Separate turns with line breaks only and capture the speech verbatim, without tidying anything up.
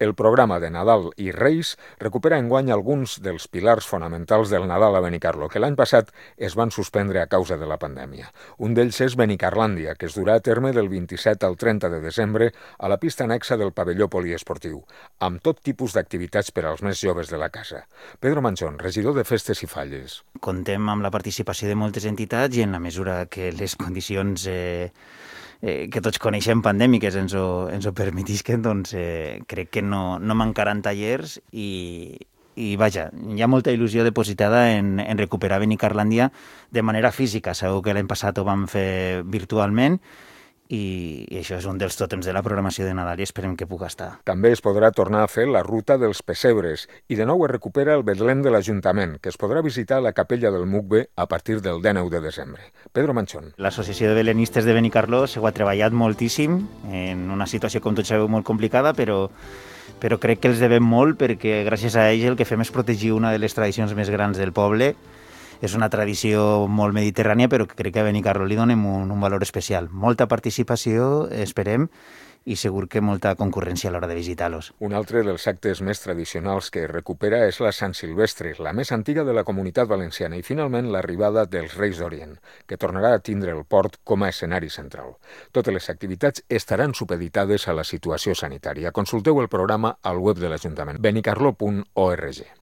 El programa de Nadal i Reis recupera enguany alguns dels pilars fonamentals del Nadal a Benicarló, que l'any passat es van suspendre a causa de la pandèmia. Un d'ells és Benicarlàndia, que es durà a terme del vint-i-set al trenta de desembre a la pista anexa del pavelló poliesportiu, amb tot tipus d'activitats per als més joves de la casa. Pedro Manchón, regidor de Festes i Falles.
Contem amb la participació de moltes entitats i en la mesura que les condicions eh, eh, que tots coneixem pandèmiques ens ho, ens ho permetisquen, doncs eh, crec que no, no mancaran tallers i, i vaja, hi ha molta il·lusió depositada en, en recuperar Benicarlàndia de manera física. Segur que l'any passat ho vam fer virtualment i, i això és un dels tòtems de la programació de Nadal i esperem que pugui estar.
També es podrà tornar a fer la ruta dels pessebres i de nou es recupera el Betlem de l'Ajuntament, que es podrà visitar a la capella del Mugbe a partir del dinou de desembre. Pedro Manchón.
L'Associació de Belenistes de Benicarló s'ho ha treballat moltíssim en una situació, com tots sabeu, molt complicada, però però crec que els devem molt perquè gràcies a ells el que fem és protegir una de les tradicions més grans del poble. És una tradició molt mediterrània, però crec que a Benicarló li donem un, un valor especial. Molta participació, esperem, i segur que molta concurrència a l'hora de visitar-los.
Un altre dels actes més tradicionals que recupera és la Sant Silvestre, la més antiga de la Comunitat Valenciana, i finalment l'arribada dels Reis d'Orient, que tornarà a tindre el port com a escenari central. Totes les activitats estaran supeditades a la situació sanitària. Consulteu el programa al web de l'Ajuntament, benicarló punt org.